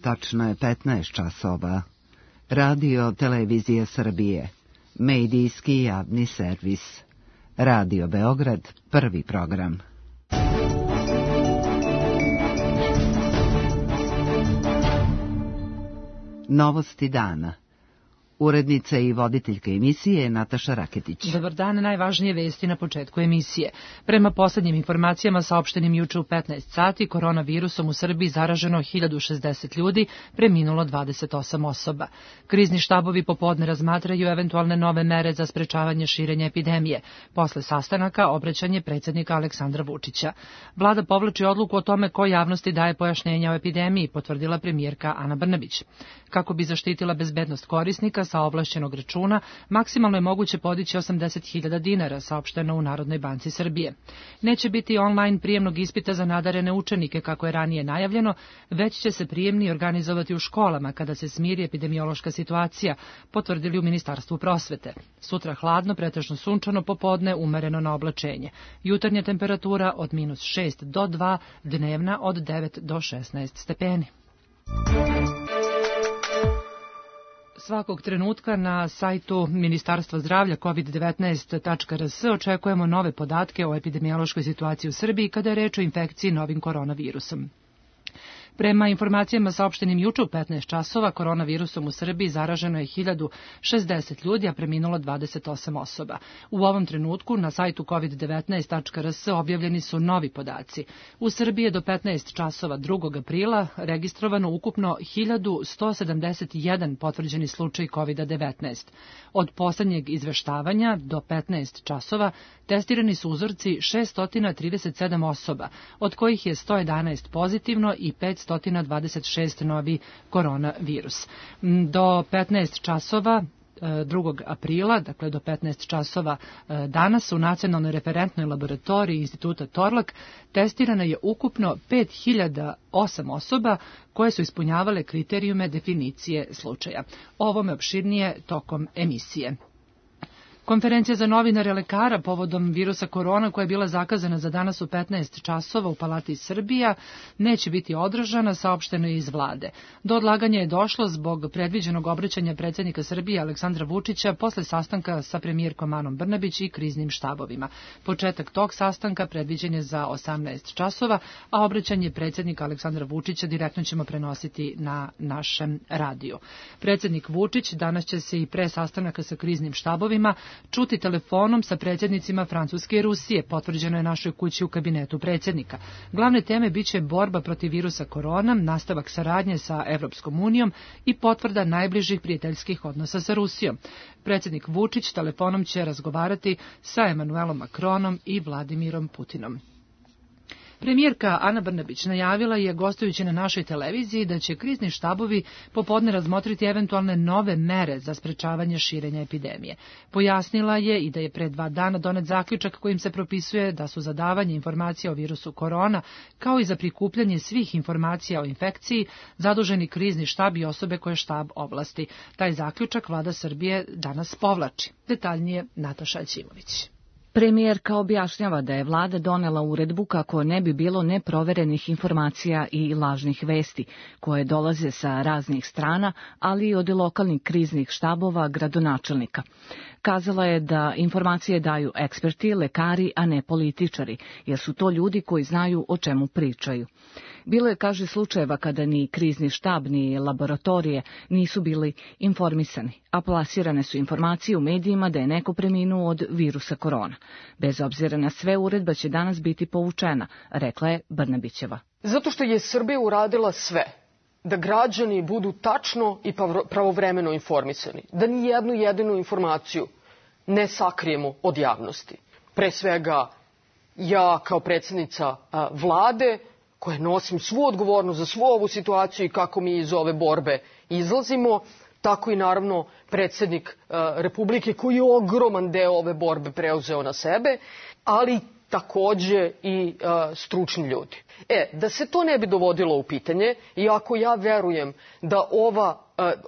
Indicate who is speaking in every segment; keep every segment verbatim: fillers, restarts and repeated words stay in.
Speaker 1: tačno je petnaest časova. Radio Televizija Srbije, medijski javni servis. Radio Beograd, prvi program. Novosti dana. Urednica i voditeljka emisije Nataša Raketić.
Speaker 2: Dobar dan, najvažnije vesti na početku emisije. Prema poslednjim informacijama saopštenim juče u petnaest sati, koronavirusom u Srbiji zaraženo hiljadu šezdeset ljudi, preminulo dvadeset osam osoba. Krizni štabovi popodne razmatraju eventualne nove mere za sprečavanje širenja epidemije. Posle sastanaka obraćanje predsjednika Aleksandra Vučića. Vlada povlači odluku o tome ko javnosti daje pojašnjenja o epidemiji, potvrdila premijerka Ana Brnabić. Kako bi zaštitila bezbednost korisnika sa ovlašćenog računa, maksimalno je moguće podići osamdeset hiljada dinara, saopšteno u Narodnoj banci Srbije. Neće biti online prijemnog ispita za nadarene učenike, kako je ranije najavljeno, već će se prijemni organizovati u školama kada se smiri epidemiološka situacija, potvrdili u Ministarstvu prosvete. Sutra hladno, pretežno sunčano, popodne umereno na oblačenje. Jutarnja temperatura od minus šest do dva, dnevna od devet do šesnaest stepeni. Svakog trenutka na sajtu Ministarstva zdravlja kovid devetnaest tačka r s očekujemo nove podatke o epidemiološkoj situaciji u Srbiji kada je reč o infekciji novim koronavirusom. Prema informacijama saopštenim juče u petnaest časova, koronavirusom u Srbiji zaraženo je hiljadu šezdeset ljudi, a preminulo dvadeset osam osoba. U ovom trenutku na sajtu kovid devetnaest tačka r s objavljeni su novi podaci. U Srbiji je do petnaest časova drugog aprila registrovano ukupno hiljadu sto sedamdeset jedan potvrđeni slučaj kovid devetnaest. Od poslednjeg izveštavanja do petnaest časova testirani su uzorci šesto trideset sedam osoba, od kojih je sto jedanaest pozitivno i petsto dvadeset šest novi koronavirus. Do petnaest časova drugog aprila, dakle do petnaest časova danas u Nacionalnoj referentnoj laboratoriji Instituta Torlak testirano je ukupno pet hiljada osam osoba koje su ispunjavale kriterijume definicije slučaja. O ovome opširnije tokom emisije. Konferencija za novinare lekara povodom virusa korona koja je bila zakazana za danas u petnaest časova u Palati Srbija neće biti održana, saopšteno je iz vlade. Do odlaganja je došlo zbog predviđenog obraćanja predsjednika Srbije Aleksandra Vučića posle sastanka sa premijerkom Anom Brnabić i kriznim štabovima. Početak tog sastanka predviđen je za osamnaest časova, a obraćanje predsjednika Aleksandra Vučića direktno ćemo prenositi na našem radiju. Predsjednik Vučić danas će se i pre sastanaka sa kriznim štabovima čuti telefonom sa predsjednicima Francuske i Rusije, potvrđeno je našoj kući u kabinetu predsjednika. Glavne teme biće borba protiv virusa korona, nastavak saradnje sa Evropskom unijom i potvrda najbližih prijateljskih odnosa sa Rusijom. Predsjednik Vučić telefonom će razgovarati sa Emanuelom Macronom i Vladimirom Putinom. Premijerka Ana Brnabić najavila je, gostujući na našoj televiziji, da će krizni štabovi popodne razmotriti eventualne nove mere za sprečavanje širenja epidemije. Pojasnila je i da je pre dva dana donet zaključak kojim se propisuje da su za davanje informacija o virusu korona, kao i za prikupljanje svih informacija o infekciji, zaduženi krizni štab i osobe koje štab ovlasti. Taj zaključak vlada Srbije danas povlači. Detaljnije Nataša Ćimović.
Speaker 3: Premijerka objašnjava da je vlada donela uredbu kako ne bi bilo neproverenih informacija i lažnih vesti, koje dolaze sa raznih strana, ali i od lokalnih kriznih štabova gradonačelnika. Kazala je da informacije daju eksperti, lekari, a ne političari, jer su to ljudi koji znaju o čemu pričaju. Bilo je, kaže, slučajeva kada ni krizni štab ni laboratorije nisu bili informisani, a plasirane su informacije u medijima da je neko preminuo od virusa korona. Bez obzira na sve, uredba će danas biti povučena, rekla je Brnabićeva.
Speaker 4: Zato što je Srbija uradila sve da građani budu tačno i pravovremeno informisani, da ni jednu jedinu informaciju ne sakrijemo od javnosti. Pre svega, ja kao predsjednica vlade, koja nosim svu odgovornost za svu ovu situaciju i kako mi iz ove borbe izlazimo, tako i naravno predsjednik Republike koji je ogroman deo ove borbe preuzeo na sebe, ali takođe i stručni ljudi. E, da se to ne bi dovodilo u pitanje, iako ja verujem da ova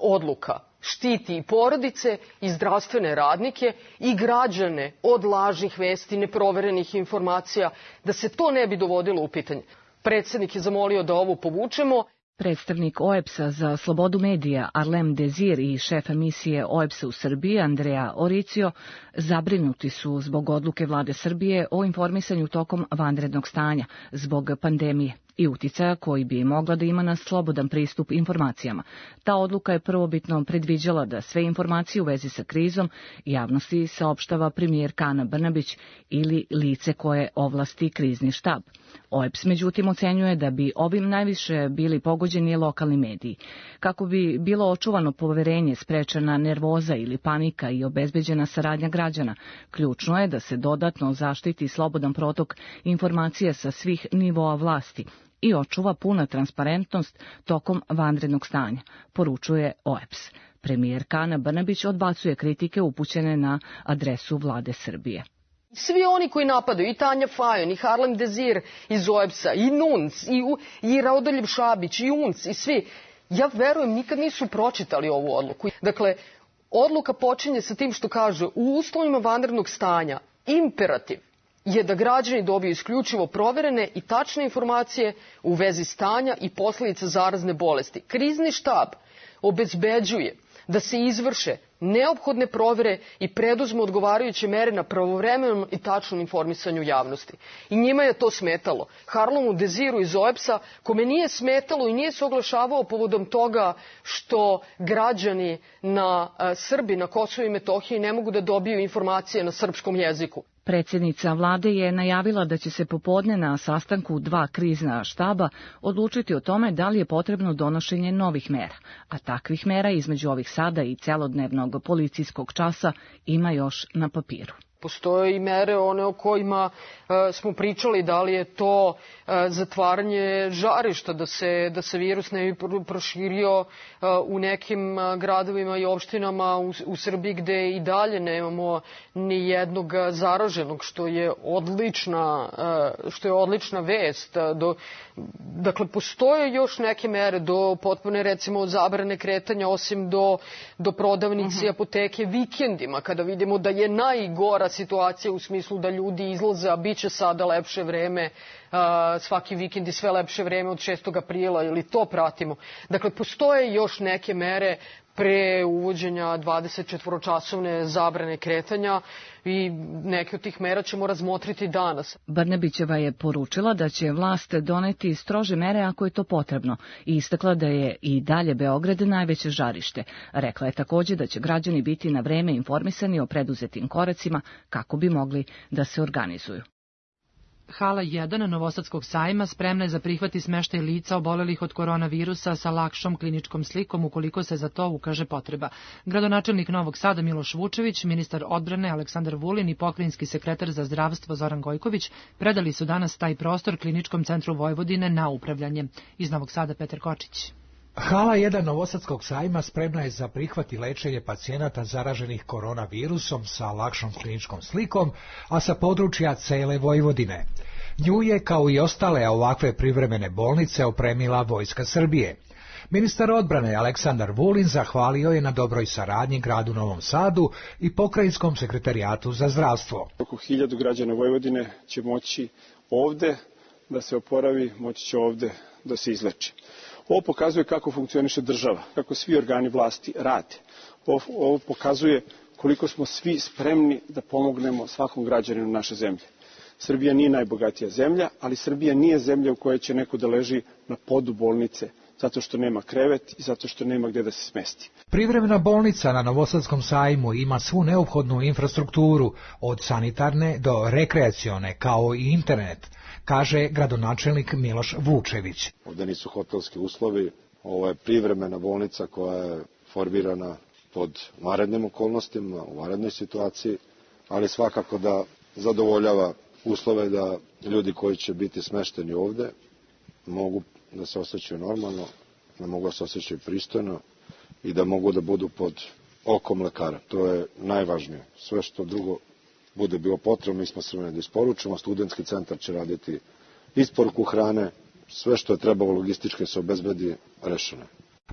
Speaker 4: odluka štiti i porodice i zdravstvene radnike i građane od lažnih vesti, neproverenih informacija, da se to ne bi dovodilo u pitanje. Predsjednik je zamolio da ovo povučemo.
Speaker 3: Predstavnik O E B S-a za slobodu medija Arlem Dezir i šef emisije O E B S-a u Srbiji Andrea Oricio zabrinuti su zbog odluke vlade Srbije o informisanju tokom vanrednog stanja zbog pandemije i uticaja koji bi mogla da ima na slobodan pristup informacijama. Ta odluka je prvobitno predviđala da sve informacije u vezi sa krizom javnosti saopštava premijerka Ana Brnabić ili lice koje ovlasti krizni štab. O E B S međutim ocenjuje da bi ovim najviše bili pogođeni lokalni mediji. Kako bi bilo očuvano poverenje, sprečena nervoza ili panika i obezbeđena saradnja građana, ključno je da se dodatno zaštiti slobodan protok informacija sa svih nivoa vlasti i očuva puna transparentnost tokom vanrednog stanja, poručuje O E B S. Premijerka Ana Brnabić odbacuje kritike upućene na adresu vlade Srbije.
Speaker 4: Svi oni koji napadaju, i Tanja Fajon, i Harlem Dezir iz O E B S-a, i Nunc, i, i Radoljub Šabić, i Unc, i svi, ja verujem, nikad nisu pročitali ovu odluku. Dakle, odluka počinje sa tim što kaže, u uslovima vanrednog stanja, imperativ je da građani dobiju isključivo proverene i tačne informacije u vezi stanja i posledica zarazne bolesti. Krizni štab obezbeđuje da se izvrše neophodne provere i preduzmu odgovarajuće mere na pravovremenom i tačnom informisanju javnosti. I njima je to smetalo. Harlemu Deziru iz O E B S-a, kome nije smetalo i nije se oglašavao povodom toga što građani na Srbi na Kosovu i Metohiji ne mogu da dobiju informacije na srpskom jeziku.
Speaker 3: Predsjednica vlade je najavila da će se popodne na sastanku dva krizna štaba odlučiti o tome da li je potrebno donošenje novih mera, a takvih mera između ovih sada i celodnevnog policijskog časa ima još na papiru.
Speaker 4: Postoje i mere one o kojima e, smo pričali, da li je to e, zatvaranje žarišta, da se, da se virus ne bi proširio e, u nekim gradovima i opštinama u, u Srbiji gde i dalje nemamo ni jednog zaraženog, što je odlična, e, što je odlična vest. Do, dakle, postoje još neke mere do potpune, recimo, zabrane kretanja, osim do, do prodavnice i apoteke vikendima, kada vidimo da je najgora situacija u smislu da ljudi izlaze, a bit će sada lepše vreme, svaki vikend i sve lepše vreme od šestog aprila, ili to pratimo. Dakle, postoje još neke mere pre uvođenja dvadesetčetvoročasovne zabrane kretanja i neke od tih mera ćemo razmotriti danas.
Speaker 3: Brnabićeva je poručila da će vlast doneti strože mere ako je to potrebno i istakla da je i dalje Beograd najveće žarište. Rekla je također da će građani biti na vreme informisani o preduzetim koracima kako bi mogli da se organizuju.
Speaker 2: Hala jedan Novosadskog sajma spremna je za prihvat i smeštaj lica obolelih od koronavirusa sa lakšom kliničkom slikom ukoliko se za to ukaže potreba. Gradonačelnik Novog Sada Miloš Vučević, ministar odbrane Aleksandar Vulin i pokrajinski sekretar za zdravstvo Zoran Gojković predali su danas taj prostor Kliničkom centru Vojvodine na upravljanje. Iz Novog Sada Petar Kočić.
Speaker 5: Hala jedan Novosadskog sajma spremna je za prihvat i lečenje pacijenata zaraženih koronavirusom sa lakšom kliničkom slikom, a sa područja cele Vojvodine. Nju je, kao i ostale ovakve privremene bolnice, opremila Vojska Srbije. Ministar odbrane Aleksandar Vulin zahvalio je na dobroj saradnji gradu Novom Sadu i pokrajinskom sekretarijatu za zdravstvo.
Speaker 6: Oko hiljadu građana Vojvodine će moći ovde da se oporavi, moći će ovde da se izleči. Ovo pokazuje kako funkcioniše država, kako svi organi vlasti rade. Ovo, ovo pokazuje koliko smo svi spremni da pomognemo svakom građaninu naše zemlje. Srbija nije najbogatija zemlja, ali Srbija nije zemlja u kojoj će neko da leži na podu bolnice, zato što nema krevet i zato što nema gde da se smesti.
Speaker 5: Privremena bolnica na Novosadskom sajmu ima svu neophodnu infrastrukturu, od sanitarne do rekreacione, kao i internet, kaže gradonačelnik Miloš Vučević.
Speaker 7: Ovde nisu hotelski uslovi, ovo je privremena bolnica koja je formirana pod vanrednim okolnostima, u vanrednoj situaciji, ali svakako da zadovoljava uslove da ljudi koji će biti smešteni ovde mogu da se osjećaju normalno, da mogu da se osjećaju pristojno i da mogu da budu pod okom lekara. To je najvažnije. Sve što drugo bude bilo potrebno, mi smo spremni da isporučimo. Studentski centar će raditi isporuku hrane, sve što je trebalo logistički se obezbedi, rešeno.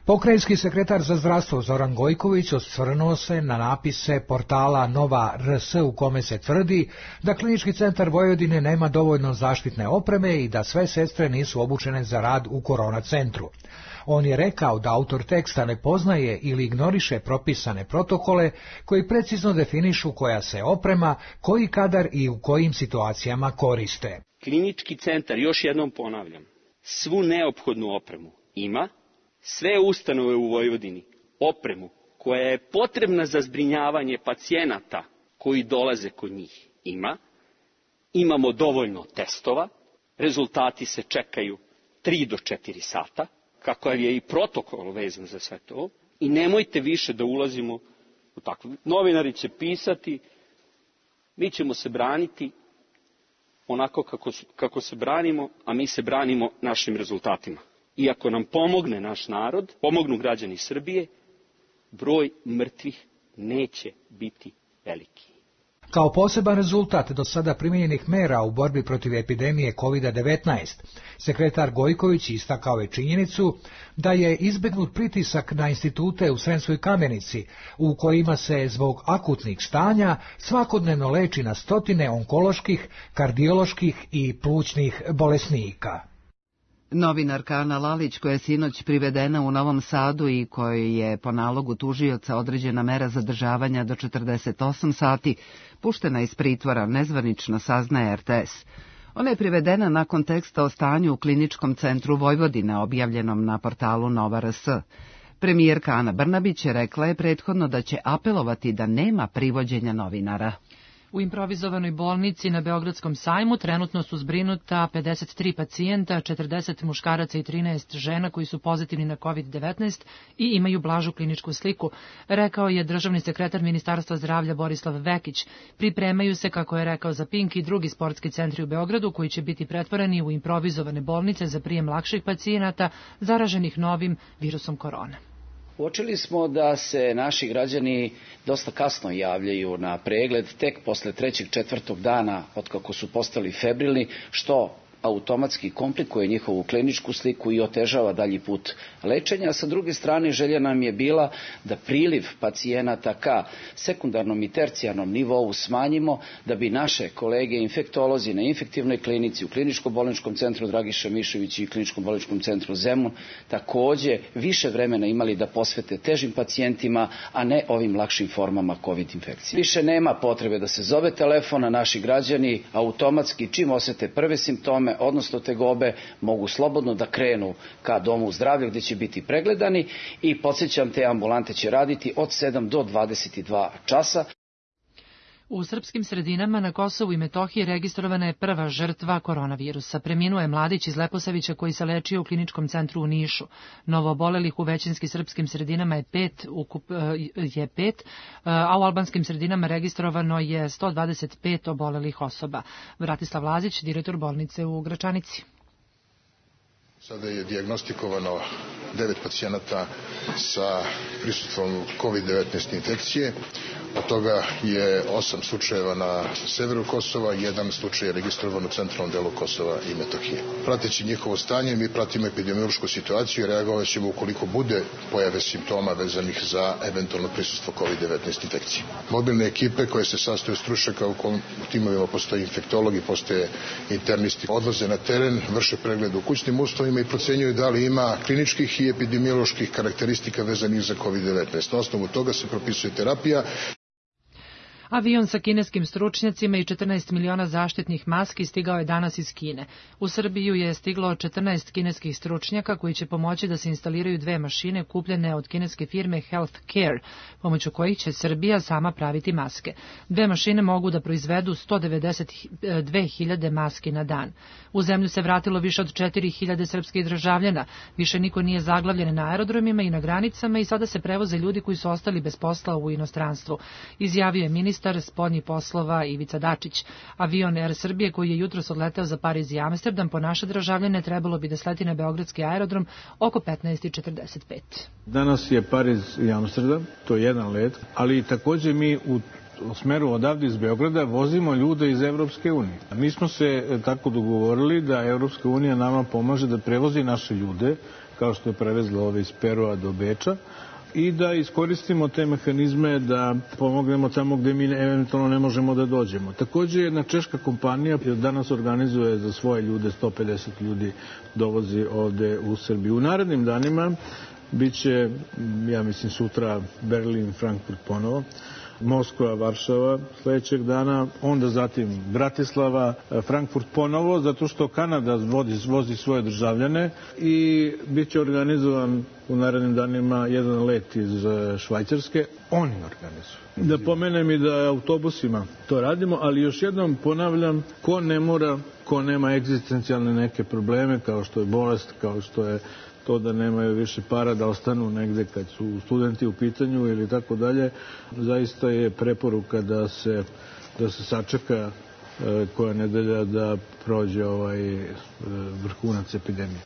Speaker 5: Pokrajinski sekretar za zdravstvo Zoran Gojković osvrnuo se na napise portala Nova R S u kome se tvrdi da Klinički centar Vojvodine nema dovoljno zaštitne opreme i da sve sestre nisu obučene za rad u korona centru. On je rekao da autor teksta ne poznaje ili ignoriše propisane protokole koji precizno definišu koja se oprema, koji kadar i u kojim situacijama koriste.
Speaker 8: Klinički centar, još jednom ponavljam, svu neophodnu opremu ima, sve ustanove u Vojvodini opremu koja je potrebna za zbrinjavanje pacijenata koji dolaze kod njih ima, imamo dovoljno testova, rezultati se čekaju tri do četiri sata, kakav je i protokol vezan za sve to, i nemojte više da ulazimo u takvo. Novinari će pisati, mi ćemo se braniti onako kako, kako se branimo, a mi se branimo našim rezultatima. I ako nam pomogne naš narod, pomognu građani Srbije, broj mrtvih neće biti veliki.
Speaker 5: Kao poseban rezultat do sada primijenjenih mera u borbi protiv epidemije kovid devetnaest, sekretar Gojković istakao je činjenicu da je izbegnut pritisak na institute u Sremskoj Kamenici, u kojima se zbog akutnih stanja svakodnevno leči na stotine onkoloških, kardioloških i plućnih bolesnika.
Speaker 1: Novinarka Ana Lalić, koja je sinoć privedena u Novom Sadu i kojoj je po nalogu tužioca određena mera zadržavanja do četrdeset osam sati, puštena iz pritvora, nezvanično saznaje R T S. Ona je privedena nakon teksta o stanju u Kliničkom centru Vojvodine, objavljenom na portalu Nova R S. Premijerka Ana Brnabić rekla je prethodno da će apelovati da nema privođenja novinara.
Speaker 2: U improvizovanoj bolnici na Beogradskom sajmu trenutno su zbrinuta pedeset tri pacijenta, četrdeset muškaraca i trinaest žena koji su pozitivni na kovid devetnaest i imaju blažu kliničku sliku, rekao je državni sekretar Ministarstva zdravlja Borislav Vekić. Pripremaju se, kako je rekao za Pink, i drugi sportski centri u Beogradu koji će biti pretvoreni u improvizovane bolnice za prijem lakših pacijenata zaraženih novim virusom korona.
Speaker 9: Uočili smo da se naši građani dosta kasno javljaju na pregled, tek posle trećeg, četvrtog dana od kako su postali febrilni, što automatski komplikuje njihovu kliničku sliku i otežava dalji put lečenja. A sa druge strane, želja nam je bila da priliv pacijenata ka sekundarnom i tercijarnom nivou smanjimo, da bi naše kolege infektolozi na infektivnoj klinici, u kliničko-bolničkom centru Dragiša Mišović i kliničko-bolničkom centru Zemun takođe više vremena imali da posvete težim pacijentima, a ne ovim lakšim formama COVID infekcije. Više nema potrebe da se zove telefon, a naši građani automatski čim osete prve simptome, odnosno tegobe, mogu slobodno da krenu ka domu zdravlja gdje će biti pregledani i podsjećam, te ambulante će raditi od sedam do dvadeset dva časa.
Speaker 2: U srpskim sredinama na Kosovu i Metohiji registrovana je prva žrtva koronavirusa. Preminuo je mladić iz Leposavića koji se lečio u kliničkom centru u Nišu. Novoobolelih u većinskim srpskim sredinama je pet, ukup, je pet, a u albanskim sredinama registrovano je sto dvadeset pet obolelih osoba. Vratislav Lazić, direktor bolnice u Gračanici.
Speaker 10: Sada je dijagnostikovano devet pacijenata sa prisustvom kovid devetnaest infekcije. Od toga je osam slučajeva na severu Kosova, jedan slučaj je registrovan u centralnom delu Kosova i Metohije. Prateći njihovo stanje, mi pratimo epidemiološku situaciju i reagovat ćemo ukoliko bude pojave simptoma vezanih za eventualno prisustvo kovid devetnaest infekcije. Mobilne ekipe koje se sastoje od stručnjaka, u timovima postoje infektologi, postoje internisti, odlaze na teren, vrše pregled u kućnim uslovima i procenjuju da li ima kliničkih i epidemioloških karakteristika vezanih za kovid devetnaest. Na osnovu toga se propisuje terapija.
Speaker 2: Avion sa kineskim stručnjacima i četrnaest miliona zaštitnih maski stigao je danas iz Kine. U Srbiju je stiglo četrnaest kineskih stručnjaka koji će pomoći da se instaliraju dve mašine kupljene od kineske firme Health Care, pomoću kojih će Srbija sama praviti maske. Dve mašine mogu da proizvedu sto devedeset dve hiljade maski na dan. U zemlju se vratilo više od četiri hiljade srpskih državljana. Više niko nije zaglavljen na aerodromima i na granicama i sada se prevoze ljudi koji su ostali bez posla u inostranstvu. Izjavio je ministar spoljnih poslova Ivica Dačić. Avion Er Srbije koji je jutros odleteo za Pariz i Amsterdam po naše državljane trebalo bi da sleti na beogradski aerodrom oko petnaest i četrdeset pet.
Speaker 11: Danas je Pariz i Amsterdam, to je jedan let, ali takođe mi u u smeru odavde iz Beograda vozimo ljude iz Evropske unije. Mi smo se tako dogovorili da Evropska unija nama pomaže da prevozi naše ljude kao što je prevezla ove iz Perua do Beča, i da iskoristimo te mehanizme da pomognemo tamo gde mi eventualno ne možemo da dođemo. Takođe, jedna češka kompanija danas organizuje za svoje ljude, sto pedeset ljudi dovozi ovde u Srbiju. U narednim danima biće, ja mislim, sutra Berlin, Frankfurt ponovo, Moskva, Varšava sledećeg dana, onda zatim Bratislava, Frankfurt ponovo, zato što Kanada vozi, vozi svoje državljane i bit će organizovan u narednim danima jedan let iz Švajcarske. Oni organizuju. Da pomenem i da autobusima to radimo, ali još jednom ponavljam, ko ne mora, ko nema egzistencijalne neke probleme, kao što je bolest, kao što je to da nemaju više para da ostanu negde kad su studenti u pitanju ili tako dalje, zaista je preporuka da se, da se sačeka e, koja nedelja da prođe ovaj e, vrhunac epidemije.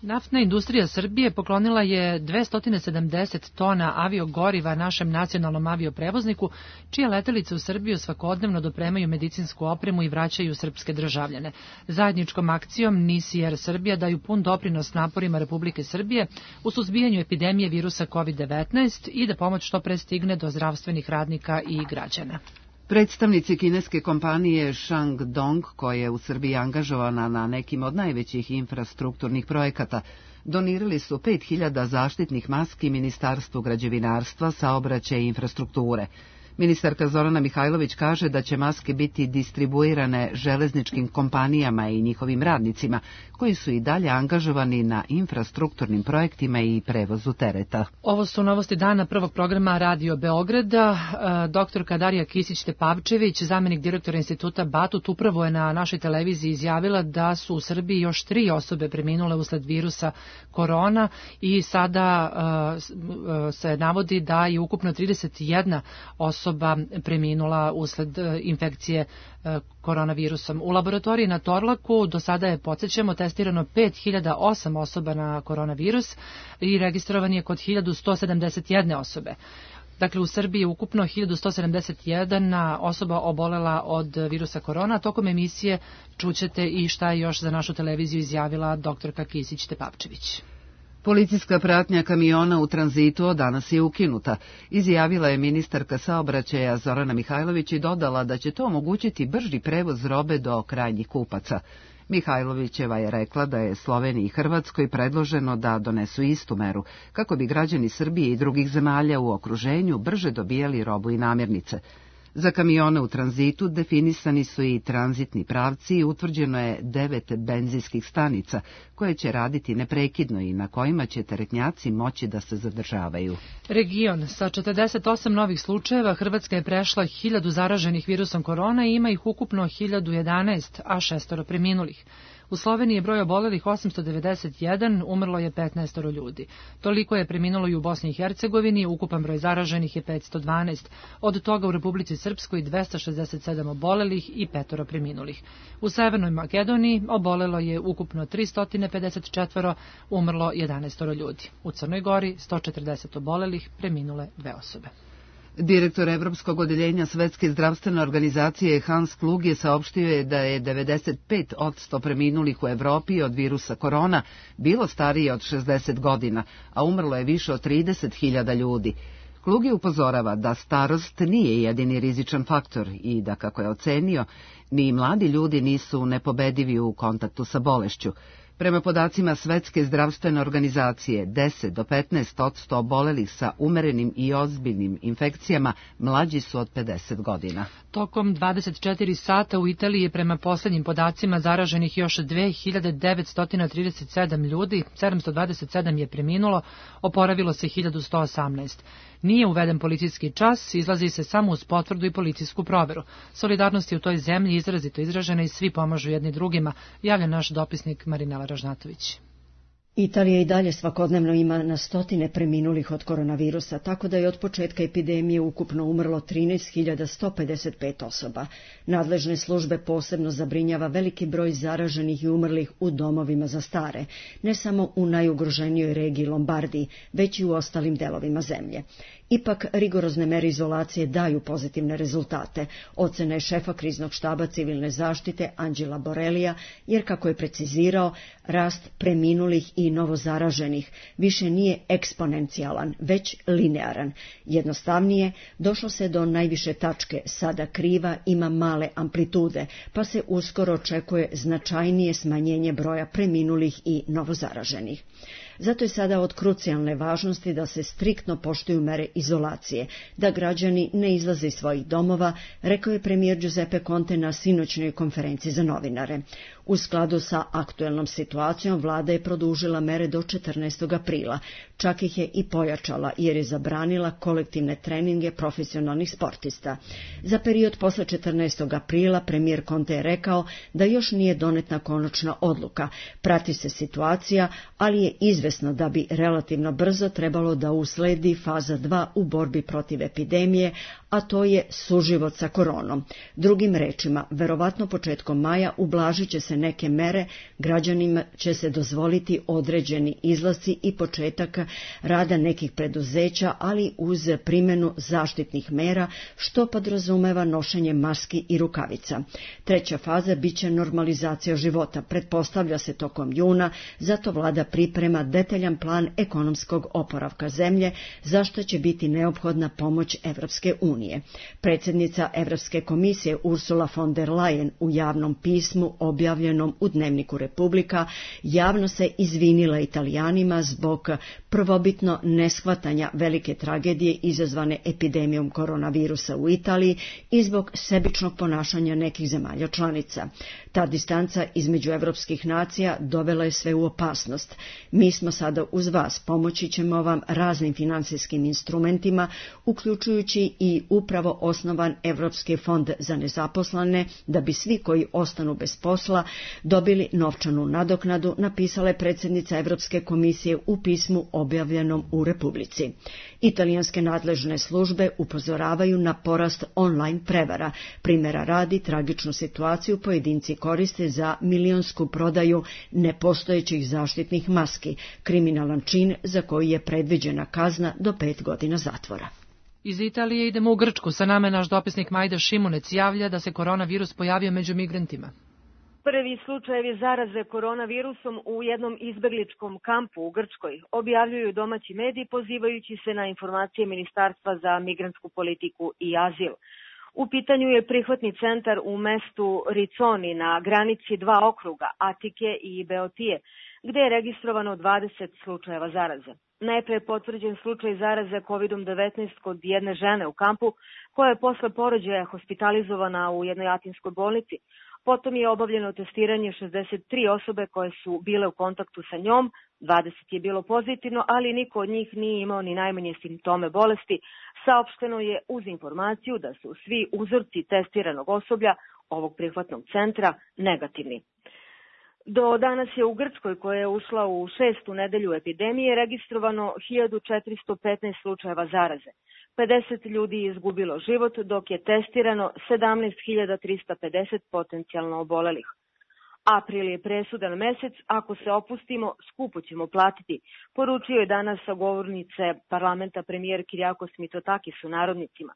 Speaker 2: Naftna industrija Srbije poklonila je dvesta sedamdeset tona aviogoriva našem nacionalnom avioprevozniku, čije letelice u Srbiju svakodnevno dopremaju medicinsku opremu i vraćaju srpske državljane. Zajedničkom akcijom N I S i Air Srbija daju pun doprinos naporima Republike Srbije u suzbijanju epidemije virusa kovid devetnaest i da pomoć što pre stigne do zdravstvenih radnika i građana.
Speaker 1: Predstavnici kineske kompanije Shandong, koja je u Srbiji angažovana na nekim od najvećih infrastrukturnih projekata, donirali su pet hiljada zaštitnih maski Ministarstvu građevinarstva, saobraćaja i infrastrukture. Ministarka Zorana Mihajlović kaže da će maske biti distribuirane železničkim kompanijama i njihovim radnicima, koji su i dalje angažovani na infrastrukturnim projektima i prevozu tereta.
Speaker 2: Ovo su novosti dana prvog programa Radio Beograda. Doktorka Darija Kisić-Tepavčević, zamenik direktora instituta Batut, upravo je na našoj televiziji izjavila da su u Srbiji još tri osobe preminule usled virusa korona i sada uh, se navodi da je ukupno trideset jedna osoba preminula usled infekcije koronavirusom. U laboratoriji na Torlaku do sada je, podsjećamo, testirano pet hiljada osam osoba na koronavirus i registrovan je kod hiljadu sto sedamdeset jedne osobe. Dakle, u Srbiji je ukupno hiljadu sto sedamdeset jedna osoba obolela od virusa korona. Tokom emisije čućete i šta je još za našu televiziju izjavila doktorka Kisić-Tepavčević.
Speaker 1: Policijska pratnja kamiona u tranzitu danas je ukinuta, izjavila je ministarka saobraćaja Zorana Mihajlović i dodala da će to omogućiti brži prevoz robe do krajnjih kupaca. Mihajlovićeva je rekla da je Sloveniji i Hrvatskoj predloženo da donesu istu meru, kako bi građani Srbije i drugih zemalja u okruženju brže dobijali robu i namirnice. Za kamione u tranzitu definisani su i tranzitni pravci i utvrđeno je devet benzinskih stanica koje će raditi neprekidno i na kojima će teretnjaci moći da se zadržavaju.
Speaker 2: Region sa četrdeset osam novih slučajeva, Hrvatska je prešla hiljadu zaraženih virusom korona i ima ih ukupno hiljadu jedanaest, a šestoro preminulih. U Sloveniji je broj obolelih osamsto devedeset jedan, umrlo je petnaest ljudi. Toliko je preminulo i u Bosni i Hercegovini, ukupan broj zaraženih je petsto dvanaest. Od toga u Republici Srpskoj dvesta šezdeset sedam obolelih i petoro preminulih. U Severnoj Makedoniji obolelo je ukupno tristo pedeset četiri, umrlo jedanaest ljudi. U Crnoj Gori sto četrdeset obolelih, preminule dve osobe.
Speaker 1: Direktor Evropskog odeljenja Svetske zdravstvene organizacije Hans Kluge saopštio je da je devedeset pet posto preminulih u Evropi od virusa korona bilo starije od šezdeset godina, a umrlo je više od trideset hiljada ljudi. Kluge upozorava da starost nije jedini rizičan faktor i da, kako je ocenio, ni mladi ljudi nisu nepobedivi u kontaktu sa bolešću. Prema podacima Svetske zdravstvene organizacije, deset do petnaest posto obolelih sa umerenim i ozbiljnim infekcijama mlađi su od pedeset godina.
Speaker 2: Tokom dvadeset četiri sata u Italiji je prema poslednjim podacima zaraženih još dve hiljade devetsto trideset sedam ljudi, sedamsto dvadeset sedam je preminulo, oporavilo se hiljadu sto osamnaest. Nije uveden policijski čas, izlazi se samo uz potvrdu i policijsku proveru. Solidarnost je u toj zemlji izrazito izražena i svi pomažu jedni drugima, javlja naš dopisnik Marinela Ražnatović.
Speaker 12: Italija i dalje svakodnevno ima na stotine preminulih od koronavirusa, tako da je od početka epidemije ukupno umrlo trinaest hiljada sto pedeset pet osoba. Nadležne službe posebno zabrinjava veliki broj zaraženih i umrlih u domovima za stare, ne samo u najugroženijoj regiji Lombardiji, već i u ostalim delovima zemlje. Ipak, rigorozne mere izolacije daju pozitivne rezultate. Ocena je šefa kriznog štaba civilne zaštite Anđela Borelija, jer kako je precizirao, rast preminulih i novozaraženih više nije eksponencijalan, već linearan. Jednostavnije, došlo se do najviše tačke, sada kriva ima male amplitude, pa se uskoro očekuje značajnije smanjenje broja preminulih i novozaraženih. Zato je sada od krucijalne važnosti da se striktno poštuju mere izolacije, da građani ne izlaze iz svojih domova, rekao je premijer Giuseppe Conte na sinoćnoj konferenciji za novinare. U skladu sa aktuelnom situacijom, vlada je produžila mere do četrnaestog aprila, čak ih je i pojačala jer je zabranila kolektivne treninge profesionalnih sportista. Za period posle četrnaestog aprila premijer Conte je rekao da još nije donetna konačna odluka, prati se situacija, ali je izvesno da bi relativno brzo trebalo da usledi faza dva u borbi protiv epidemije, a to je suživot sa koronom. Drugim rečima, verovatno početkom maja ublažit će se neke mere, građanima će se dozvoliti određeni izlasci i početak rada nekih preduzeća, ali uz primjenu zaštitnih mera, što podrazumeva nošenje maski i rukavica. Treća faza biće normalizacija života, pretpostavlja se tokom juna, zato vlada priprema detaljan plan ekonomskog oporavka zemlje, za što će biti neophodna pomoć Evropske unije. Predsjednica Evropske komisije Ursula von der Leyen u javnom pismu objavljenom u Dnevniku Republika javno se izvinila Italijanima zbog prvobitno neshvatanja velike tragedije izazvane epidemijom koronavirusa u Italiji i zbog sebičnog ponašanja nekih zemalja članica. Ta distanca između evropskih nacija dovela je sve u opasnost. Mi smo sada uz vas, pomoći ćemo vam raznim finansijskim instrumentima, uključujući i upravo osnovan Evropski fond za nezaposlene, da bi svi koji ostanu bez posla dobili novčanu nadoknadu, napisala je predsjednica Evropske komisije u pismu objavljenom u Republici. Italijanske nadležne službe upozoravaju na porast online prevara. Primjera radi, tragičnu situaciju pojedinci koriste za milionsku prodaju nepostojećih zaštitnih maski, kriminalan čin za koji je predviđena kazna do pet godina zatvora.
Speaker 2: Iz Italije idemo u Grčku. Sa nama je naš dopisnik Majda Šimunec javlja da se koronavirus pojavio među migrantima.
Speaker 13: Prvi slučajevi zaraze koronavirusom u jednom izbegličkom kampu u Grčkoj objavljuju domaći mediji pozivajući se na informacije Ministarstva za migrantsku politiku i azil. U pitanju je prihvatni centar u mestu Riconi na granici dva okruga, Atike i Beotije, gde je registrovano dvadeset slučajeva zaraze. Najpre je potvrđen slučaj zaraze kovidom devetnaest kod jedne žene u kampu, koja je posle porođaja hospitalizovana u jednoj atinskoj bolnici. Potom je obavljeno testiranje šezdeset tri osobe koje su bile u kontaktu sa njom, dvadeset je bilo pozitivno, ali niko od njih nije imao ni najmanje simptome bolesti. Saopšteno je uz informaciju da su svi uzorci testiranog osoblja ovog prihvatnog centra negativni. Do danas je u Grčkoj, koja je ušla u šestu nedelju epidemije, registrovano hiljadu četiristo petnaest slučajeva zaraze. pedeset ljudi je izgubilo život, dok je testirano sedamnaest hiljada trista pedeset potencijalno obolelih. April je presudan mesec, ako se opustimo, skupo ćemo platiti, poručio je danas sa govornice parlamenta premijer Kyriakos Mitsotakis u narodnicima.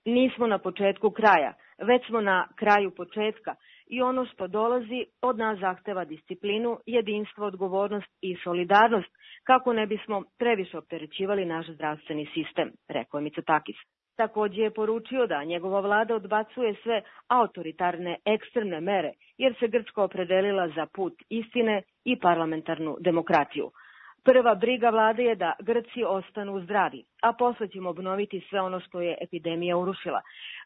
Speaker 13: Nismo na početku kraja, već smo na kraju početka i ono što dolazi od nas zahteva disciplinu, jedinstvo, odgovornost i solidarnost kako ne bismo previše opterećivali naš zdravstveni sistem, rekao je Mitsotakis. Također je poručio da njegova vlada odbacuje sve autoritarne ekstremne mere jer se Grčka opredelila za put istine i parlamentarnu demokratiju. Prva briga vlade je da Grci ostanu zdravi, a posle ćemo obnoviti sve ono što je epidemija urušila.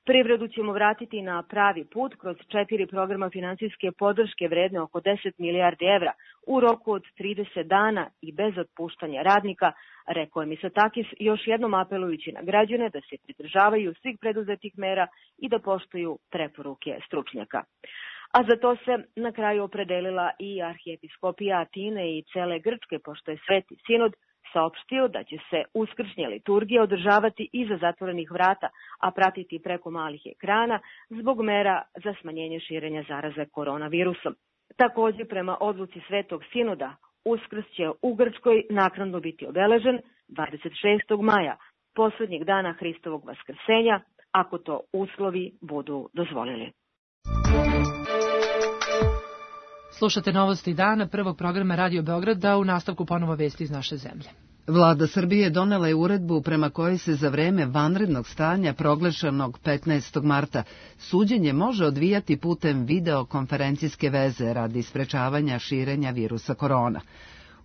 Speaker 13: Privredu ćemo vratiti na pravi put kroz četiri programa finansijske podrške vredne oko deset milijardi evra u roku od trideset dana i bez otpuštanja radnika, rekao je Mitsotakis, još jednom apelujući na građane da se pridržavaju svih preduzetih mera i da poštuju preporuke stručnjaka. A za to se na kraju opredelila i arhijepiskopija Atine i cele Grčke, pošto je Sveti Sinod saopštio da će se uskršnje liturgije održavati iza zatvorenih vrata, a pratiti preko malih ekrana zbog mera za smanjenje širenja zaraze koronavirusom. Također, prema odluci Svetog Sinoda, Uskrs će u Grčkoj naknadno biti obeležen dvadeset šestog maja, poslednjeg dana Hristovog vaskrsenja, ako to uslovi budu dozvolili.
Speaker 2: Slušate Novosti dana prvog programa Radio Beograda, u nastavku ponovo vesti iz naše zemlje.
Speaker 1: Vlada Srbije donela je uredbu prema kojoj se za vreme vanrednog stanja proglašenog petnaestog marta suđenje može odvijati putem videokonferencijske veze radi sprečavanja širenja virusa korona.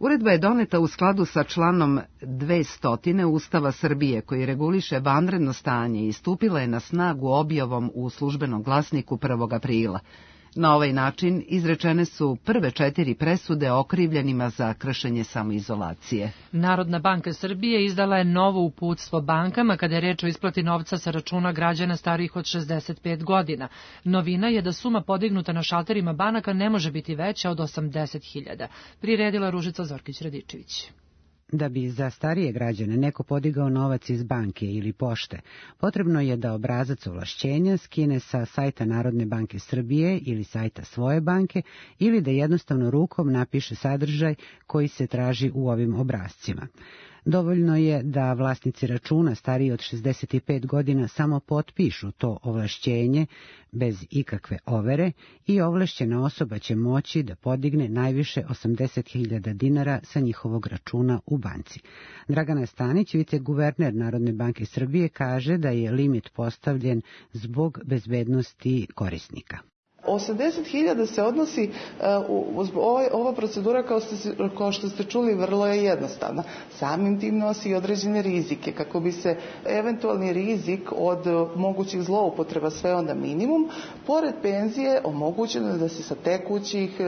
Speaker 1: Uredba je doneta u skladu sa članom dvesta Ustava Srbije koji reguliše vanredno stanje i stupila je na snagu objavom u Službenom glasniku prvog aprila. Na ovaj način izrečene su prve četiri presude okrivljenima za kršenje samoizolacije.
Speaker 2: Narodna banka Srbije izdala je novo uputstvo bankama kada je reč o isplati novca sa računa građana starijih od šezdeset pet godina. Novina je da suma podignuta na šalterima banaka ne može biti veća od osamdeset hiljada. Priredila Ružica Zorkić-Radičević.
Speaker 14: Da bi za starije građane neko podigao novac iz banke ili pošte, potrebno je da obrazac ovlašćenja skine sa sajta Narodne banke Srbije ili sajta svoje banke ili da jednostavno rukom napiše sadržaj koji se traži u ovim obrascima. Dovoljno je da vlasnici računa stariji od šezdeset pet godina samo potpišu to ovlašćenje bez ikakve overe i ovlašćena osoba će moći da podigne najviše osamdeset hiljada dinara sa njihovog računa u banci. Dragana Stanić, viceguverner Narodne banke Srbije, kaže da je limit postavljen zbog bezbednosti korisnika.
Speaker 15: osamdeset hiljada se odnosi, uh, ova procedura kao, ste, kao što ste čuli vrlo je jednostavna. Samim tim nosi određene rizike kako bi se eventualni rizik od mogućih zloupotreba sveo na minimum. Pored penzije omogućeno je da se sa tekućih,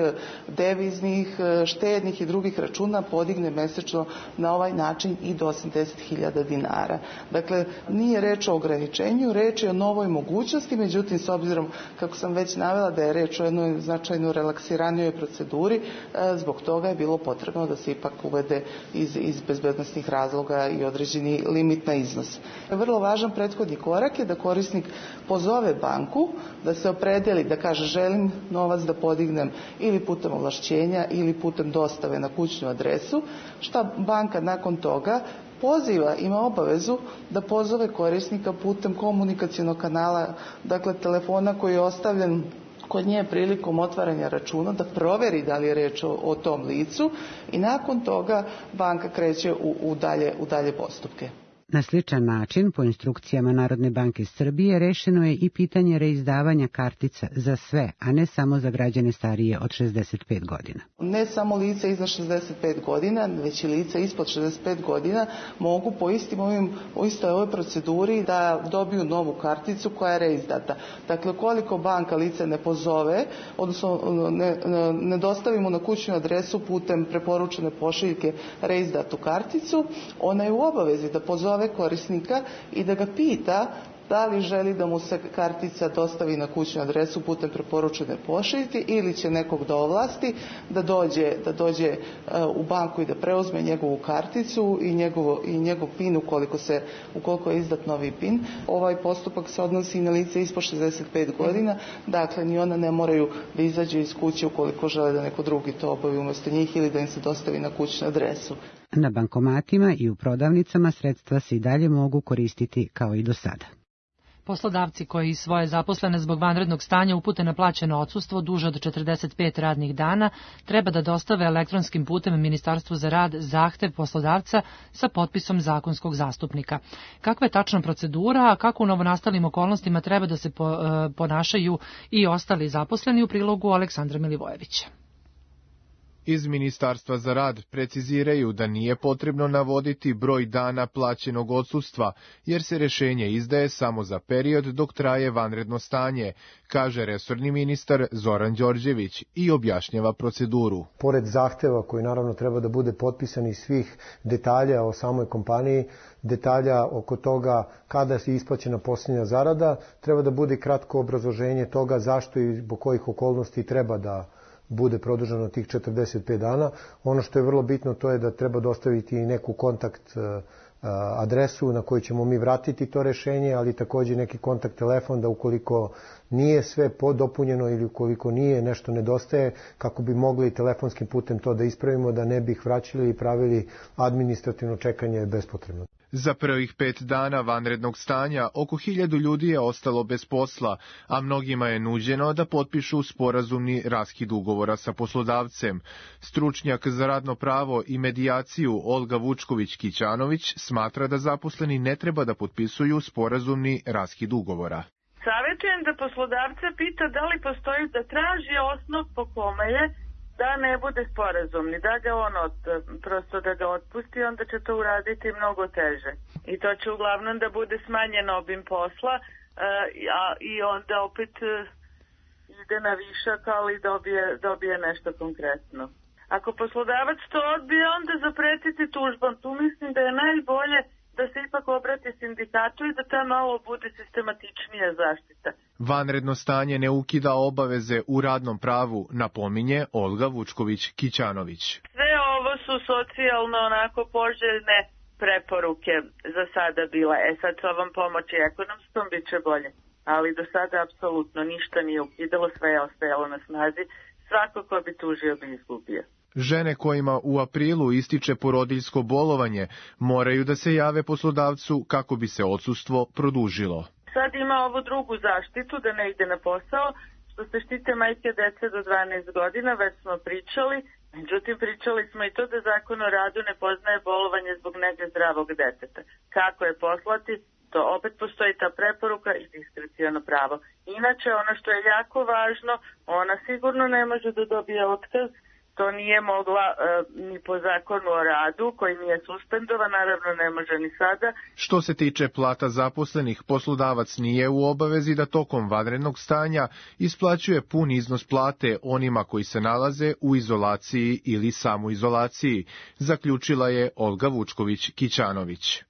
Speaker 15: deviznih, štednih i drugih računa podigne mesečno na ovaj način i do osamdeset hiljada dinara. Dakle, nije reč o ograničenju, reč je o novoj mogućnosti, međutim, s obzirom, kako sam već navela, da je reč o jednoj značajno relaksiranijoj proceduri, zbog toga je bilo potrebno da se ipak uvede iz, iz bezbednosnih razloga i određeni limit na iznos. Vrlo važan prethodni korak je da korisnik pozove banku, da se opredeli, da kaže želim novac da podignem ili putem ovlašćenja ili putem dostave na kućnu adresu, šta banka nakon toga poziva, ima obavezu da pozove korisnika putem komunikacionog kanala, dakle telefona koji je ostavljen kod nje prilikom otvaranja računa, da proveri da li je reč o, o tom licu i nakon toga banka kreće u, u, dalje, u dalje postupke.
Speaker 14: Na sličan način, po instrukcijama Narodne banke Srbije, rešeno je i pitanje reizdavanja kartica za sve, a ne samo za građane starije od šezdeset pet godina.
Speaker 15: Ne samo lica iznad šezdeset pet godina, već i lica ispod šezdeset pet godina mogu po istim ovim, u istoj ovoj proceduri da dobiju novu karticu koja je reizdata. Dakle, koliko banka lice ne pozove, odnosno ne, ne dostavimo na kućnu adresu putem preporučene pošiljke reizdatu karticu, ona je u obavezi da pozove korisnika i da ga pita da li želi da mu se kartica dostavi na kućnu adresu putem preporučene pošiljke ili će nekog da ovlasti da dođe, da dođe u banku i da preuzme njegovu karticu i, njegovo, i njegov pin ukoliko, se, ukoliko je izdat novi pin. Ovaj postupak se odnosi i na lice ispod šezdeset pet godina, dakle ni ona ne moraju da izađu iz kuće ukoliko žele da neko drugi to obavi umjesto njih ili da im se dostavi na kućnu adresu.
Speaker 14: Na bankomatima i u prodavnicama sredstva se i dalje mogu koristiti kao i do sada.
Speaker 2: Poslodavci koji svoje zaposlene zbog vanrednog stanja upute na plaćeno odsustvo duže od četrdeset pet radnih dana treba da dostave elektronskim putem Ministarstvu za rad zahtev poslodavca sa potpisom zakonskog zastupnika. Kakva je tačna procedura, a kako u novonastalim okolnostima treba da se ponašaju i ostali zaposleni, u prilogu Aleksandra Milivojevića.
Speaker 16: Iz Ministarstva za rad preciziraju da nije potrebno navoditi broj dana plaćenog odsustva, jer se rešenje izdaje samo za period dok traje vanredno stanje, kaže resorni ministar Zoran Đorđević i objašnjava proceduru.
Speaker 17: Pored zahteva koji naravno treba da bude potpisan iz svih detalja o samoj kompaniji, detalja oko toga kada se isplaćena posljednja zarada, treba da bude kratko obrazloženje toga zašto i zbog kojih okolnosti treba da bude produženo tih četrdeset pet dana. Ono što je vrlo bitno to je da treba dostaviti neku kontakt adresu na koju ćemo mi vratiti to rešenje, ali takođe neki kontakt telefon da ukoliko nije sve dopunjeno ili ukoliko nije nešto nedostaje, kako bi mogli telefonskim putem to da ispravimo, da ne bi ih vraćali i pravili administrativno čekanje bespotrebno.
Speaker 16: Za prvih pet dana vanrednog stanja oko hiljadu ljudi je ostalo bez posla, a mnogima je nuđeno da potpišu sporazumni raskid ugovora sa poslodavcem. Stručnjak za radno pravo i medijaciju Olga Vučković-Kićanović smatra da zaposleni ne treba da potpisuju sporazumni raskid ugovora.
Speaker 18: Savjetujem da poslodavca pita da li postoji, da traži osnov po kome je da ne bude sporazumni, da ga on od, prosto da ga otpusti, onda će to uraditi mnogo teže. I to će uglavnom da bude smanjen obim posla, a i onda opet ide na višak, ali dobije, dobije nešto konkretno. Ako poslodavac to odbije, onda zapretiti tužbom. Tu mislim da je najbolje da se ipak obrati sindikatu i da ta malo bude sistematičnija zaštita.
Speaker 16: Vanredno stanje ne ukida obaveze u radnom pravu, napominje Olga Vučković-Kićanović.
Speaker 18: Sve ovo su socijalno onako poželjne preporuke za sada bila. E sad s ovom pomoći ekonomskom bit će bolje. Ali do sada apsolutno ništa nije ukidalo, sve je ostajalo na snazi. Svako ko bi tužio bi izgubio.
Speaker 16: Žene kojima u aprilu ističe porodiljsko bolovanje moraju da se jave poslodavcu kako bi se odsustvo produžilo.
Speaker 18: Sad ima ovu drugu zaštitu da ne ide na posao, što se štite majke dece do dvanaest godina, već smo pričali. Međutim, pričali smo i to da Zakon o radu ne poznaje bolovanje zbog nege zdravog deteta. Kako je poslati, to opet postoji ta preporuka i diskrecijono pravo. Inače, ono što je jako važno, ona sigurno ne može da dobije otkaz. To nije mogla e, ni po Zakonu o radu, koji nije suspendovan, naravno ne može ni sada.
Speaker 16: Što se tiče plata zaposlenih, poslodavac nije u obavezi da tokom vanrednog stanja isplaćuje pun iznos plate onima koji se nalaze u izolaciji ili samoizolaciji, zaključila je Olga Vučković-Kićanović.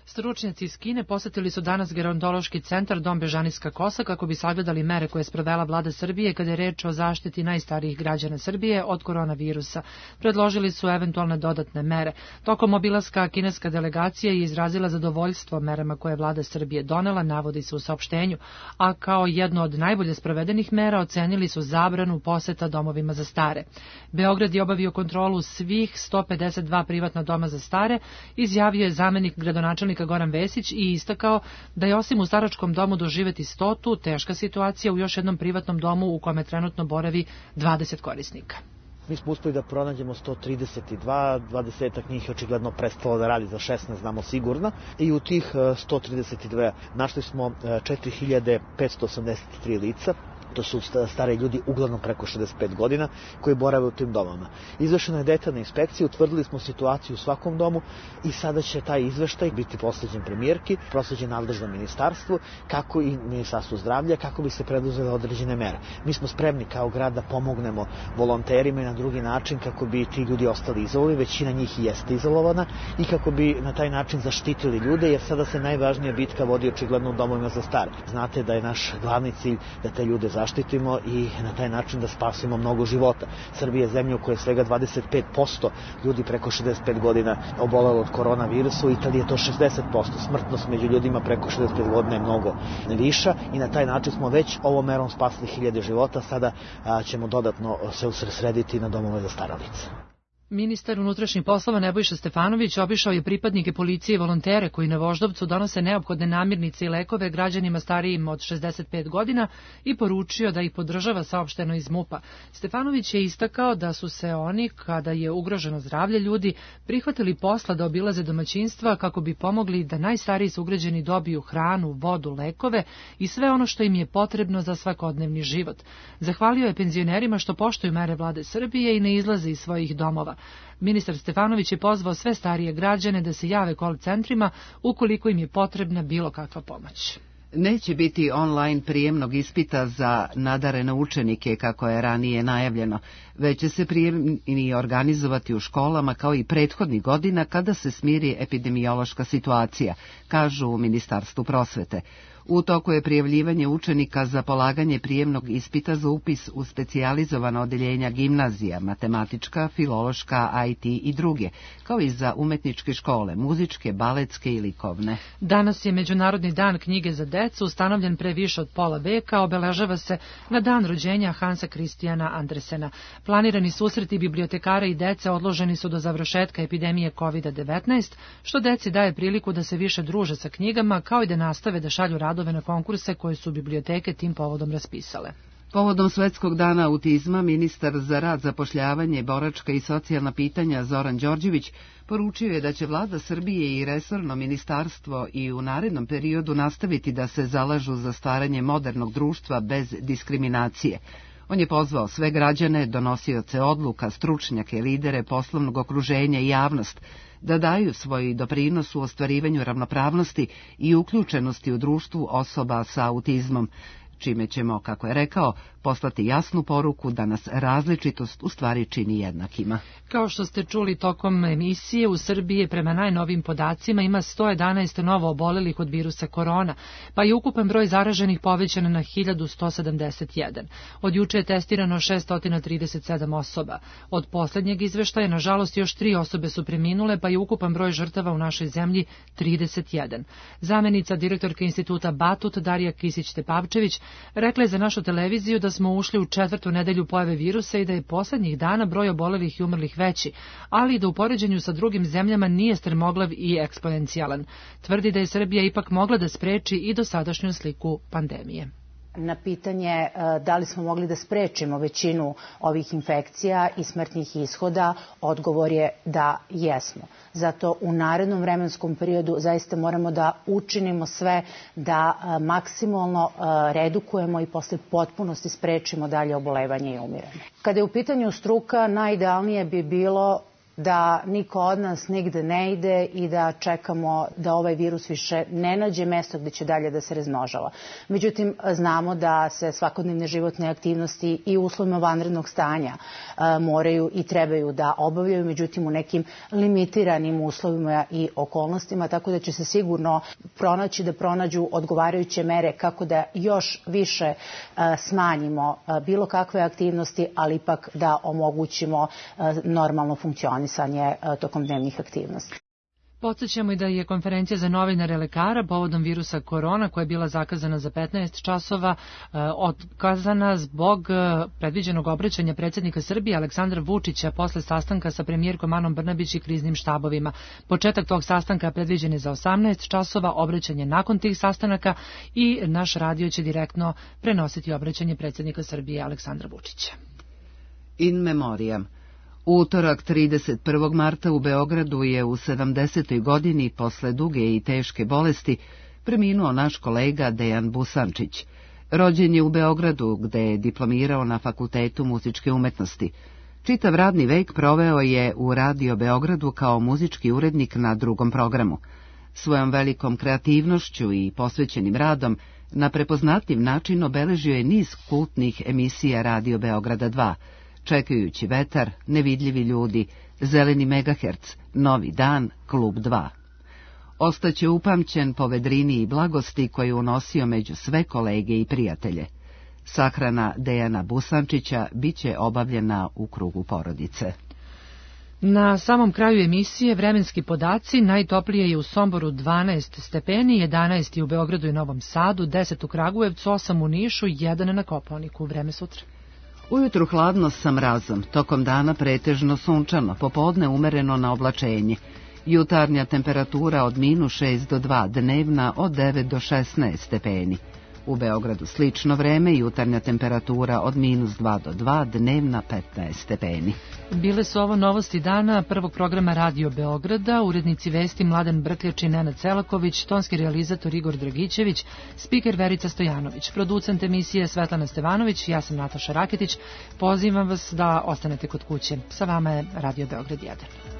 Speaker 2: Stručnjaci iz Kine posetili su danas gerontološki centar Dom Bežanijska kosa kako bi sagledali mere koje je sprovela vlada Srbije kada je reč o zaštiti najstarijih građana Srbije od koronavirusa. Predložili su eventualne dodatne mere. Tokom obilaska kineska delegacija je izrazila zadovoljstvo merama koje je vlada Srbije donela, navodi se u saopštenju, a kao jedno od najbolje sprovedenih mera ocenili su zabranu poseta domovima za stare. Beograd je obavio kontrolu svih sto pedeset dva privatna doma za stare, izjavio je zamenik gradonačelnika Goran Vesić i istakao da je osim u staračkom domu doživeti stotu, teška situacija u još jednom privatnom domu u kome trenutno boravi dvadeset korisnika.
Speaker 19: Mi smo uspeli da pronađemo sto trideset dva, dvadesetak njih je očigledno prestalo da radi, za šesnaest znamo sigurno, i u tih sto trideset dva našli smo četiri hiljade petsto osamdeset tri lica. To su stari ljudi, uglavnom preko šezdeset pet godina, koji borave u tim domama. Izvršena je detaljna inspekcija, utvrdili smo situaciju u svakom domu i sada će taj izveštaj biti prosleđen premijerki, prosleđen nadležnom ministarstvu, kako i ministarstvu zdravlja, kako bi se preduzele određene mere. Mi smo spremni kao grad da pomognemo volonterima i na drugi način kako bi ti ljudi ostali izolovani, većina njih i jeste izolovana, i kako bi na taj način zaštitili ljude, jer sada se najvažnija bitka vodi očigledno u domovima za stare. Znate da je naš glavni cilj da te ljude zaštitimo i na taj način da spasimo mnogo života. Srbija je zemlja u kojoj je svega dvadeset pet posto ljudi preko šezdeset pet godina obolelo od koronavirusa, u Italiji je to šezdeset posto. Smrtnost među ljudima preko šezdeset pet godina je mnogo viša i na taj način smo već ovom merom spasili hiljade života, sada a, ćemo dodatno se usredsrediti na domove za stara lica.
Speaker 2: Ministar unutrašnjih poslova Nebojša Stefanović obišao je pripadnike policije i volontere koji na Voždovcu donose neophodne namirnice i lekove građanima starijim od šezdeset pet godina i poručio da ih podržava, saopšteno iz MUP-a. Stefanović je istakao da su se oni, kada je ugroženo zdravlje ljudi, prihvatili posla da obilaze domaćinstva kako bi pomogli da najstariji sugrađani dobiju hranu, vodu, lekove i sve ono što im je potrebno za svakodnevni život. Zahvalio je penzionerima što poštuju mere vlade Srbije i ne izlaze iz svojih domova. Ministar Stefanović je pozvao sve starije građane da se jave call centrima ukoliko im je potrebna bilo kakva pomoć.
Speaker 1: Neće biti online prijemnog ispita za nadarene učenike, kako je ranije najavljeno, već će se prijemni organizovati u školama kao i prethodnih godina kada se smiri epidemiološka situacija, kažu u Ministarstvu prosvete. U toku je prijavljivanje učenika za polaganje prijemnog ispita za upis u specijalizovana odeljenja gimnazija, matematička, filološka, I T i druge, kao i za umetničke škole, muzičke, baletske i likovne.
Speaker 2: Danas je Međunarodni dan knjige za decu, ustanovljen pre više od pola veka, obeležava se na dan rođenja Hansa Kristijana Andersena. Planirani susreti bibliotekara i dece odloženi su do završetka epidemije kovid devetnaest, što deci daje priliku da se više druže sa knjigama, kao i da nastave da šalju radove na konkurse koje su biblioteke tim povodom raspisale.
Speaker 1: Povodom Svetskog dana autizma, ministar za rad, zapošljavanje, boračka i socijalna pitanja Zoran Đorđević poručio je da će vlada Srbije i resorno ministarstvo i u narednom periodu nastaviti da se zalažu za stvaranje modernog društva bez diskriminacije. On je pozvao sve građane, donosioce odluka, stručnjake, lidere poslovnog okruženja i javnost da daju svoj doprinos u ostvarivanju ravnopravnosti i uključenosti u društvu osoba sa autizmom, čime ćemo, kako je rekao, poslati jasnu poruku da nas različitost u stvari čini jednakima.
Speaker 2: Kao što ste čuli tokom emisije, u Srbiji prema najnovim podacima ima sto jedanaest novo obolelih od virusa korona, pa je ukupan broj zaraženih povećan na hiljadu sto sedamdeset jedan. Od juče je testirano šesto trideset sedam osoba. Od poslednjeg izveštaja, nažalost, još tri osobe su preminule, pa je ukupan broj žrtava u našoj zemlji trideset jedan. Zamenica direktorka instituta Batut, Darija Kisić-Tepavčević, rekla je za našu televiziju da smo ušli u četvrtu nedelju pojave virusa i da je poslednjih dana broj obolelih i umrlih veći, ali da u poređenju sa drugim zemljama nije strmoglav i eksponencijalan. Tvrdi da je Srbija ipak mogla da spreči i dosadašnju sliku pandemije.
Speaker 20: Na pitanje da li smo mogli da sprečimo većinu ovih infekcija i smrtnih ishoda, odgovor je da jesmo. Zato u narednom vremenskom periodu zaista moramo da učinimo sve da maksimalno redukujemo i posle potpunosti sprečimo dalje obolevanje i umiranje. Kada je u pitanju struka, najidealnije bi bilo da niko od nas nigde ne ide i da čekamo da ovaj virus više ne nađe mesto gde će dalje da se razmnožava. Međutim, znamo da se svakodnevne životne aktivnosti i uslovima vanrednog stanja moraju i trebaju da obavljaju, međutim u nekim limitiranim uslovima i okolnostima, tako da će se sigurno pronaći da pronađu odgovarajuće mere kako da još više smanjimo bilo kakve aktivnosti, ali ipak da omogućimo normalno funkcionisanje tokom dnevnih aktivnosti.
Speaker 2: Podsjećamo i da je konferencija za novinare lekara povodom virusa korona, koja je bila zakazana za petnaest časova, otkazana zbog predviđenog obraćanja predsjednika Srbije Aleksandra Vučića posle sastanka sa premijerkom Anom Brnabić i kriznim štabovima. Početak tog sastanka predviđen je za osamnaest časova, obraćanje nakon tih sastanaka i naš radio će direktno prenositi obraćanje predsjednika Srbije Aleksandra Vučića.
Speaker 1: In memoriam. U utorak trideset prvog marta u Beogradu je u sedamdesetoj godini posle duge i teške bolesti preminuo naš kolega Dejan Busančić. Rođen je u Beogradu, gde je diplomirao na Fakultetu muzičke umetnosti. Čitav radni vek proveo je u Radio Beogradu kao muzički urednik na drugom programu. Svojom velikom kreativnošću i posvećenim radom na prepoznatljiv način obeležio je niz kultnih emisija Radio Beograda dva, Čekajući vetar, Nevidljivi ljudi, Zeleni megaherc, Novi dan, Klub dva. Ostaće upamćen po vedrini i blagosti koju je unosio među sve kolege i prijatelje. Sahrana Dejana Busančića biće obavljena u krugu porodice.
Speaker 2: Na samom kraju emisije vremenski podaci: najtoplije je u Somboru dvanaest stepeni, jedanaest je u Beogradu i Novom Sadu, deset u Kragujevcu, osam u Nišu, jedan na Kopaoniku. Vreme sutra.
Speaker 1: Ujutru hladno sa mrazom, tokom dana pretežno sunčano, popodne umereno na oblačenje. Jutarnja temperatura od minus šest do dva, dnevna od devet do šesnaest stepeni. U Beogradu slično vreme, jutarnja temperatura od minus dva do dva, dnevna petnaest stepeni.
Speaker 2: Bile su ovo novosti dana prvog programa Radio Beograda, urednici vesti Mladen Brkljač i Nenad Celaković, tonski realizator Igor Dragićević, spiker Verica Stojanović, producent emisije Svetlana Stevanović, ja sam Nataša Raketić. Pozivam vas da ostanete kod kuće. Sa vama je Radio Beograd jedan.